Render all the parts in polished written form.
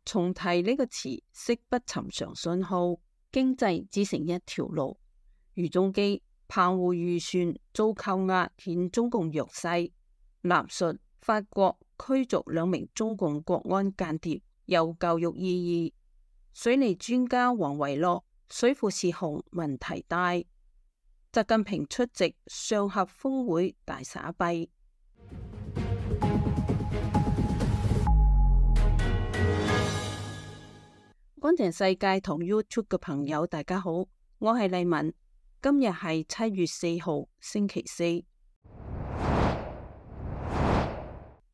重提呢個詞，識不尋常信號，經濟只剩一條路。俞中基澎湖漁船遭扣押，顯中共弱勢。南述法國驅逐2名中共國安間諜，有教育意義。水利專家黃維樂，水庫泄洪問題大。習近平出席上合峰會大撒幣。乾淨世界同 YouTube 嘅朋友大家好，我係麗文，今日係7月4號星期四。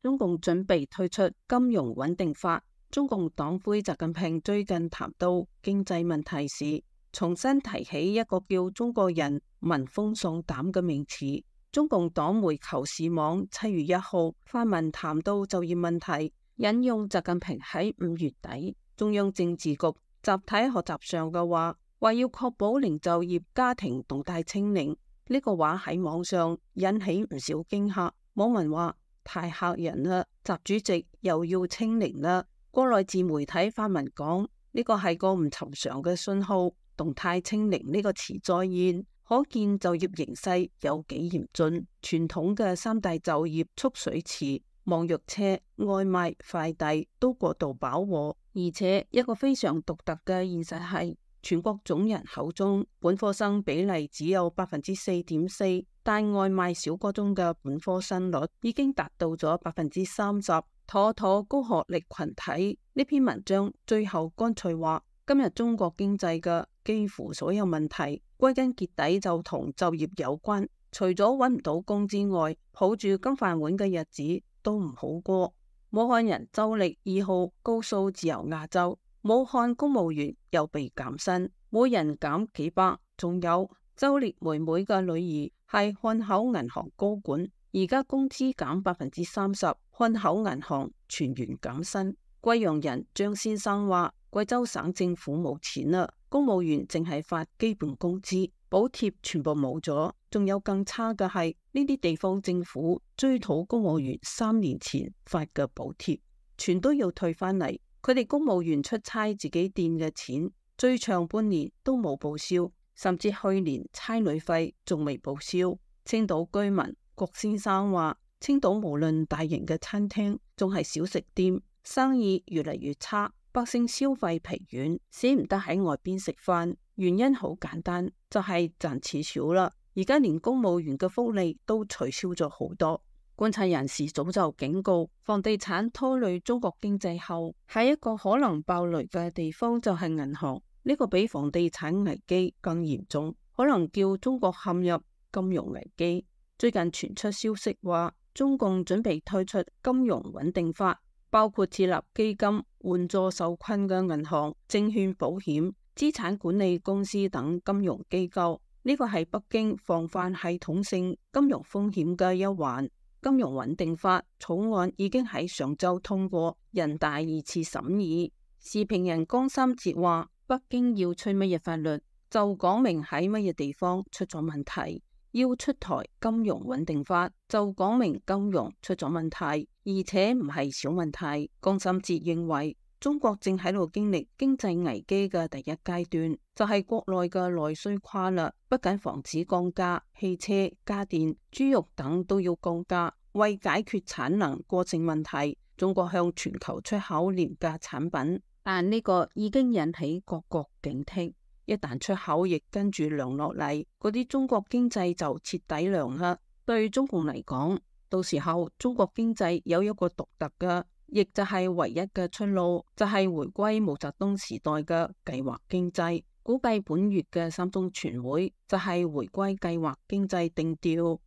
中共準備推出金融穩定法。中共黨魁習近平最近談到經濟問題時，重新提起一個叫中國人聞風喪膽嘅名詞。中共黨媒求是網7月1號發文談到就業問題，引用習近平喺5月底中央政治局集體學習上嘅話要確保零就業家庭動態清零。呢個話喺網上引起唔少驚嚇，網民話太嚇人啦，習主席又要清零啦。國內自媒體發文講呢個係個唔尋常嘅信號，動態清零呢個詞再現，可見就業形勢有幾嚴峻。傳統嘅3大就業蓄水池，網約車、外賣、快遞都過度飽和，而且一個非常獨特嘅現實係，全國總人口中本科生比例只有 4.4%， 但外賣小哥中嘅本科生率已經達到咗 30%， 妥妥高學歷群體。呢篇文章最後乾脆話，今日中國經濟嘅幾乎所有問題歸根結底就同就業有關，除咗揾唔到工之外，抱住金飯碗嘅日子都唔好過。武漢人周力2號告訴自由亞洲，武漢公務員又被減薪，每人減幾百。仲有周力妹妹嘅女兒係漢口銀行高管，而家工資減 30%， 漢口銀行全員減薪。貴陽人張先生話，貴州省政府冇錢啦，公務員淨係發基本工資，補貼全部冇咗。仲有更差嘅係，呢啲地方政府追討公務員3年前發嘅補貼，全都要退翻嚟。佢哋公務員出差自己墊嘅錢，最長半年都冇報銷，甚至去年差旅費仲未報銷。青島居民郭先生話，青島無論大型嘅餐廳仲係小食店，生意越嚟越差，百姓消費疲軟，捨唔得喺外邊食飯。原因好簡單，就係賺錢少啦。而家連公務員嘅福利都取消咗好多。觀察人士早就警告，房地產拖累中國經濟後，下一個可能爆雷嘅地方就係銀行。呢個比房地產危機更嚴重，可能叫中國陷入金融危機。最近傳出消息話，中共準備推出金融穩定法，包括設立基金援助受困嘅銀行、證券保險、資產管理公司等金融機構。呢個係北京防範系統性金融風險嘅一環。金融穩定法草案已經喺上周通過人大2次審議。時評人江三哲話，北京要吹乜嘢法律，就講明喺乜嘢地方出咗問題。要出台金融穩定法，就講明金融出咗問題，而且唔係小問題。江三哲認為，中國正喺度經歷經濟危機嘅第一階段，就係國內嘅內需垮啦，不僅房子降價，汽車、家電、豬肉等都要降價。為解決產能過剩問題，中國向全球出口廉價產品，但呢個已經引起各國警惕。一旦出口亦跟住涼落嚟，嗰啲中國經濟就徹底涼啦。對中共嚟講，到時候中國經濟有一個獨特嘅，亦就係唯一嘅出路，就係回歸毛澤東時代嘅計劃經濟。估計本月嘅三中全會就係回歸計劃經濟定調。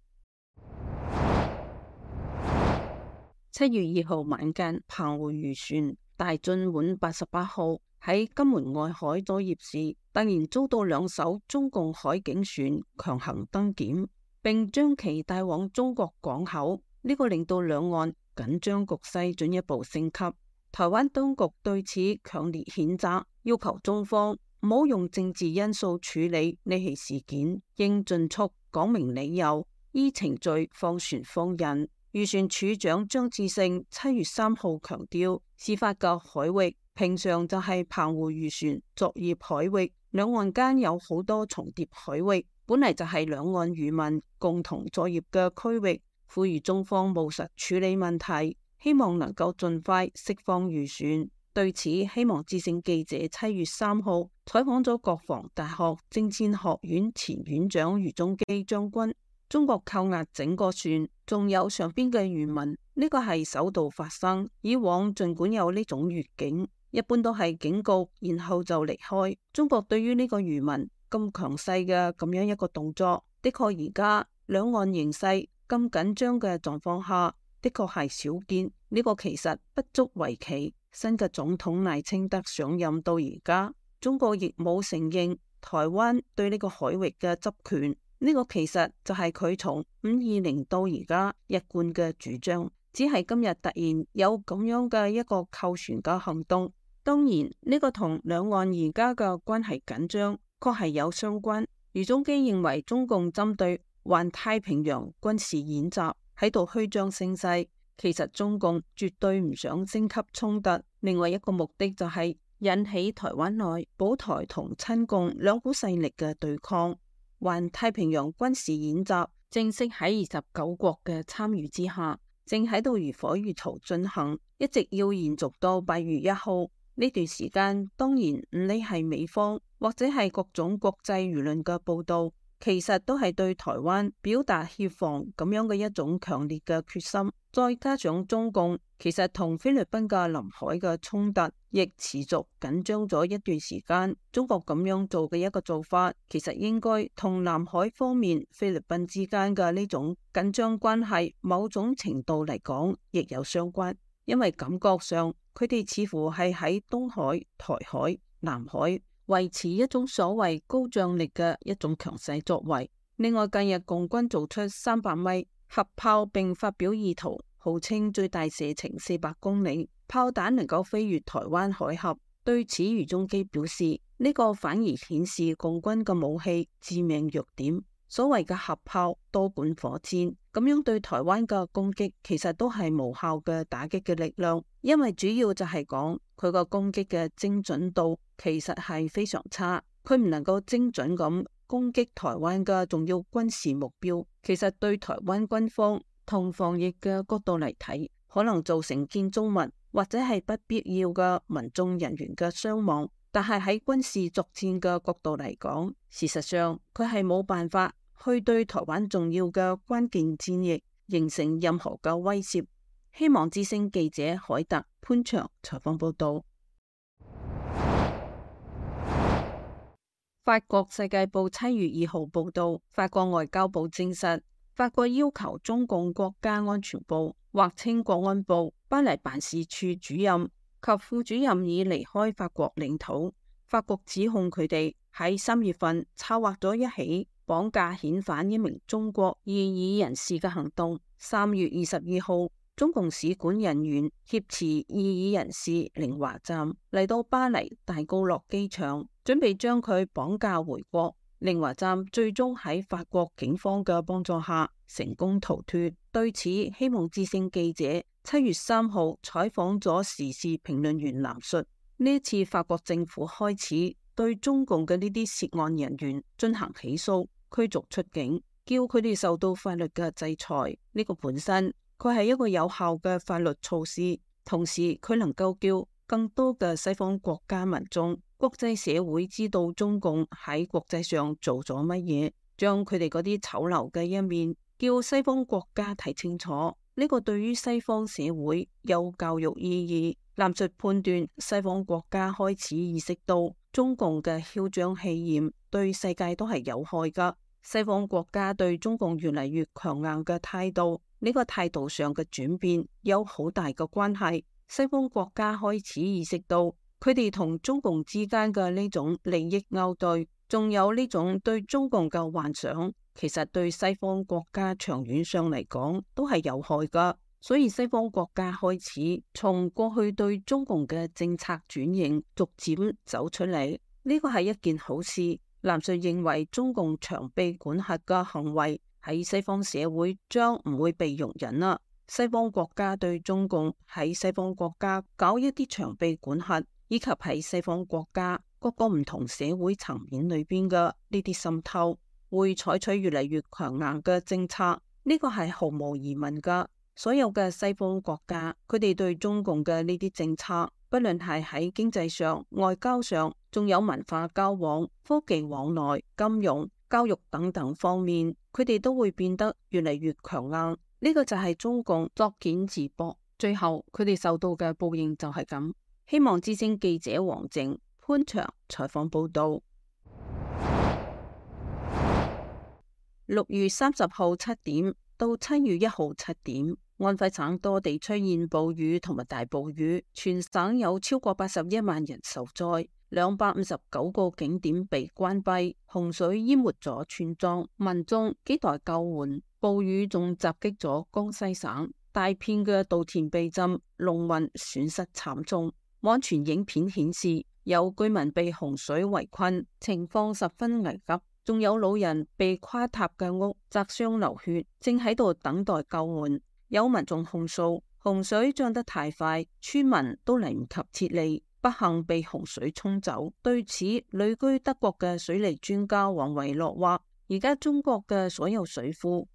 7月2號晚間，澎湖漁船大進碗88號喺金門外海作業時，突然遭到2艘中共海警船強行登檢，並將其帶往中國港口。呢個令到兩岸緊張局勢進一步升級。台灣當局對此強烈譴責，要求中方唔好用政治因素處理呢起事件，應盡速講明理由，依程序放船放人。漁船處長張志勝7月3號強調，事發嘅海域平常就係澎湖漁船作業海域，兩岸間有好多重疊海域，本嚟就係兩岸漁民共同作業嘅區域，呼籲中方務實處理問題，希望能夠盡快釋放漁船。對此，希望之聲記者7月3號採訪咗國防大學政戰學院前院長余宗基將軍。中國扣押整個船，仲有上邊嘅漁民，呢個係首度發生。以往盡管有呢種越境，一般都係警告，然後就離開。中國對於呢個漁民咁強勢嘅咁樣一個動作，的確而家兩岸形勢咁緊張嘅狀況下，的確係少見。呢個其實不足為奇。新嘅總統賴清德上任到而家，中國亦冇承認台灣對呢個海域嘅執權。呢個其實就係佢從520到而家一貫嘅主張，只係今日突然有咁樣嘅一個扣船嘅行動。當然呢個同兩岸而家嘅關係緊張確係有相關。余宗基認為中共針對環太平洋軍事演習喺度虛張聲勢，其實中共絕對唔想升級衝突。另外一個目的就係引起台灣內保台同親共兩股勢力嘅對抗。環太平洋軍事演習正式喺29國嘅參與之下，正喺度如火如荼進行，一直要延續到8月1號。呢段時間，當然唔理係美方或者係各種國際輿論嘅報道，其實都係對台灣表達協防咁樣嘅一種強烈嘅決心。再加上中共其實同菲律賓嘅臨海嘅衝突亦持續緊張咗一段時間，中國咁樣做嘅一個做法，其實應該同南海方面菲律賓之間嘅呢種緊張關係某種程度嚟講亦有相關，因為感覺上佢哋似乎係喺東海、台海、南海維持一種所謂高張力嘅一種強勢作為。另外，近日共軍做出300米核炮並發表意圖，號稱最大射程400公里，炮彈能夠飛越台灣海峽。對此，余宗基表示，呢個反而顯示共軍嘅武器致命弱點。所謂嘅核炮、多管火箭，咁樣對台灣嘅攻擊其實都係無效嘅打擊嘅力量，因為主要就係講佢個攻擊嘅精準度其實係非常差，佢唔能夠精準咁攻擊台灣嘅重要軍事目標。其實對台灣軍方同防疫嘅角度嚟睇，可能造成建築物或者係不必要嘅民眾人員嘅傷亡，但係喺軍事作戰嘅角度嚟講，事實上佢係冇辦法去對台灣重要嘅關鍵戰役形成任何嘅威脅。希望之聲記者海特潘祥採訪報道。法國世界報7月2號報道，法國外交部證實，法國要求中共國家安全部或稱國安部巴黎辦事處主任及副主任已離開法國領土。法國指控佢哋喺3月份策劃咗一起綁架遣返一名中國異議人士嘅行動。3月22號，中共使館人員挾持異議人士寧華站嚟到巴黎戴高樂機場，準備將佢綁架回國。寧華站最終喺法國警方嘅幫助下成功逃脫。對此，希望之聲記者7月3號採訪咗時事評論員藍述。呢次法國政府開始對中共嘅呢啲涉案人員進行起訴、驅逐出境，叫佢哋受到法律嘅制裁。呢個本身佢係一個有效嘅法律措施，同時佢能夠叫更多嘅西方國家民眾、國際社會知道中共喺國際上做咗乜嘢，將佢哋嗰啲醜陋嘅一面叫西方國家睇清楚。呢個對於西方社會有教育意義。藍述判斷，西方國家開始意識到中共嘅囂張氣焰對世界都係有害噶。西方國家對中共越嚟越強硬嘅態度，呢個態度上嘅轉變有好大嘅關係。西方國家開始意識到佢哋同中共之間嘅呢種利益勾兌，仲有呢種對中共嘅幻想，其實對西方國家長遠上嚟講都係有害噶。所以西方國家開始從過去對中共嘅政策轉型，逐漸走出嚟，呢個係一件好事。藍述認為中共長臂管轄嘅行為喺西方社會將唔會被容忍啦。西方國家對中共喺西方國家搞一啲長臂管轄，以及喺西方國家各個唔同社會層面裏邊嘅呢啲滲透，會採取越嚟越強硬嘅政策。呢個係毫無疑問噶。所有嘅西方國家，佢哋對中共嘅呢啲政策，不論係喺經濟上、外交上，仲有文化交往、科技往來、金融、教育等等方面，佢哋都會變得越嚟越強硬。呢個就係中共作繭自縛，最後佢哋受到嘅報應就係咁。希望之聲記者王靜、潘祥採訪報道。6月30號7點到7月1號7點，安徽省多地出現暴雨同埋大暴雨，全省有超過81萬人受災，259個景點被關閉，洪水淹沒咗村莊，民眾亟待救援。暴雨仲襲擊咗江西省，大片嘅稻田被浸，農民損失慘重。網傳影片顯示，有居民被洪水圍困，情況十分危急。仲有老人被垮塌嘅屋砸傷流血，正喺度等待救援。有民眾控訴，洪水漲得太快，村民都嚟唔及撤離，不幸被洪水沖走。對此，旅居德國嘅水利專家王維洛話：而家中國嘅所有水庫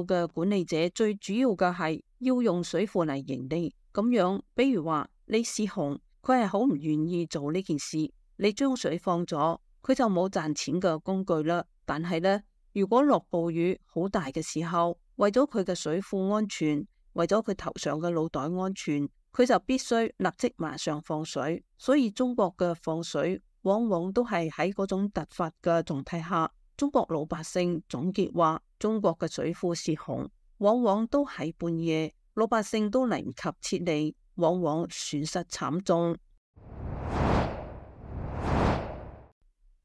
嘅管理者最主要嘅係要用水庫嚟盈利。咁樣，比如話李世雄，佢係好唔願意做呢件事。你將水放咗，佢就冇賺錢嘅工具啦。但係呢，如果落暴雨好大嘅時候，為咗佢嘅水庫安全，為咗佢頭上嘅腦袋安全，佢就必須立即馬上放水。所以中國嘅放水往往都係喺嗰種突發嘅狀態下。中國老百姓總結話，中國嘅水庫泄洪，往往都喺半夜，老百姓都嚟唔及撤離，往往損失慘重。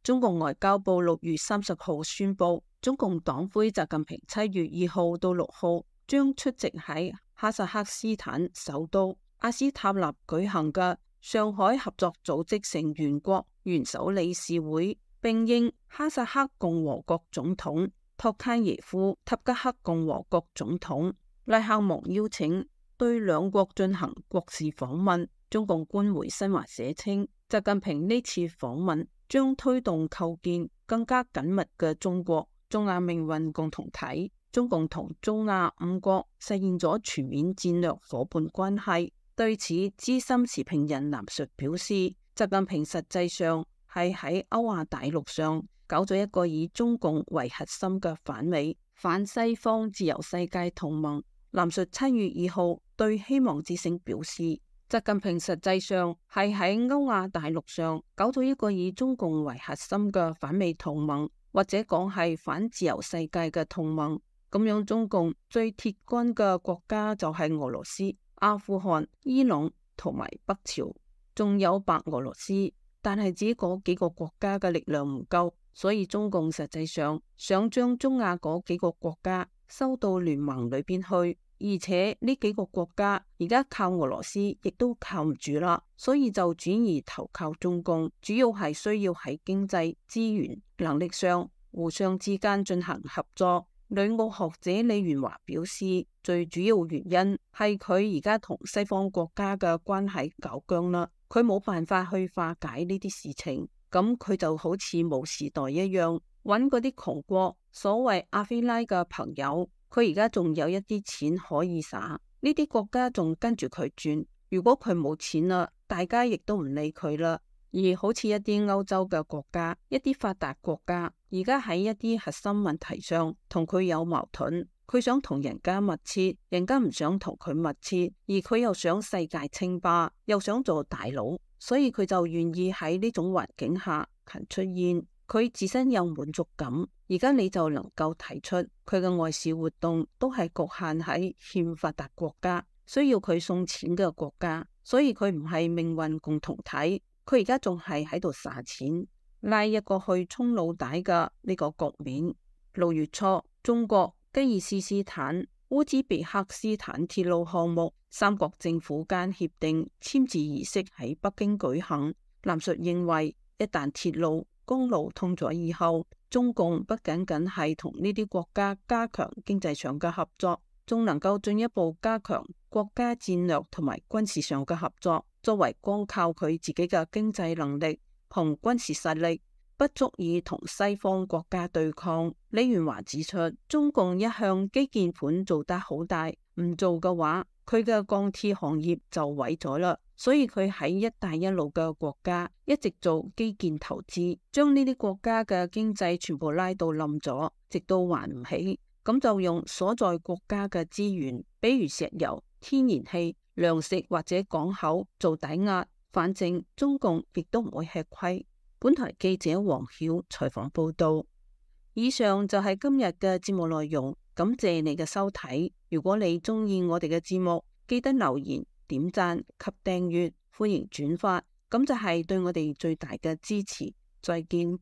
中共外交部6月30號宣布，中共黨魁習近平7月2號到6號將出席喺哈薩克斯坦首都阿斯塔納舉行嘅上海合作組織成員國元首理事會，並應哈薩克共和國總統托卡耶夫、塔吉克共和國總統拉克蒙邀請，對兩國進行國事訪問。中共官媒新華社稱，習近平呢次訪問將推動構建更加緊密嘅中國中亞命運共同體。中共同中亞五國實現咗全面戰略夥伴關係。對此，資深時評人藍述表示，習近平實際上係喺歐亞大陸上搞咗一個以中共為核心嘅反美、反西方自由世界同盟。藍述7月2號對希望之聲表示，習近平實際上係喺歐亞大陸上搞咗一個以中共為核心嘅反美同盟，或者講係反自由世界嘅同盟。咁樣中共最鐵軍嘅國家就係俄羅斯、阿富汗、伊朗同埋北朝，仲有白俄羅斯。但係只嗰幾個國家嘅力量唔夠，所以中共實際上想將中亞嗰幾個國家收到聯盟裏邊去。而且呢幾個國家而家靠俄羅斯亦都靠唔住啦，所以就轉移投靠中共，主要係需要喺經濟資源能力上互相之間進行合作。旅澳學者李元華表示，最主要原因係佢而家同西方國家嘅關係搞僵啦，佢冇辦法去化解呢啲事情，咁佢就好似冇時代一樣，揾嗰啲窮國所謂阿非拉嘅朋友。佢而家仲有一啲錢可以撒，呢啲國家仲跟住佢轉。如果佢冇錢啦，大家亦都唔理佢啦。而好似一啲歐洲嘅國家，一啲發達國家，而家喺一啲核心問題上同佢有矛盾，佢想同人家密切，人家唔想同佢密切，而佢又想世界稱霸，又想做大佬，所以佢就願意喺呢種環境下勤出現。佢自身有滿足感，而家你就能夠睇出佢嘅外事活動都係局限喺欠發達國家，需要佢送錢嘅國家，所以佢唔係命運共同體，佢而家仲係喺度撒錢，拉一個去充腦袋嘅呢個局面。6月初，中國、吉爾斯斯坦、烏茲別克斯坦鐵路項目三國政府間協定簽字儀式喺北京舉行。藍述認為，一旦鐵路公路通咗以後，中共不僅僅係同呢啲國家加強經濟上嘅合作，仲能夠進一步加強國家戰略同埋軍事上嘅合作。作為光靠佢自己嘅經濟能力同軍事實力，不足以同西方國家對抗。李元華指出，中共一向基建盤做得好大，唔做嘅話，佢嘅鋼鐵行業就毀咗啦。所以佢喺一帶一路嘅國家一直做基建投資，將呢啲國家嘅經濟全部拉到冧咗，直到還唔起，咁就用所在國家嘅資源，比如石油、天然氣、糧食或者港口做抵押，反正中共亦都唔會吃虧。本台記者黃曉採訪報道。以上就係今日嘅節目內容，感謝你嘅收睇。如果你鍾意我哋嘅節目，記得留言、點讚及訂閱，歡迎轉發，咁就係對我哋最大嘅支持。再見。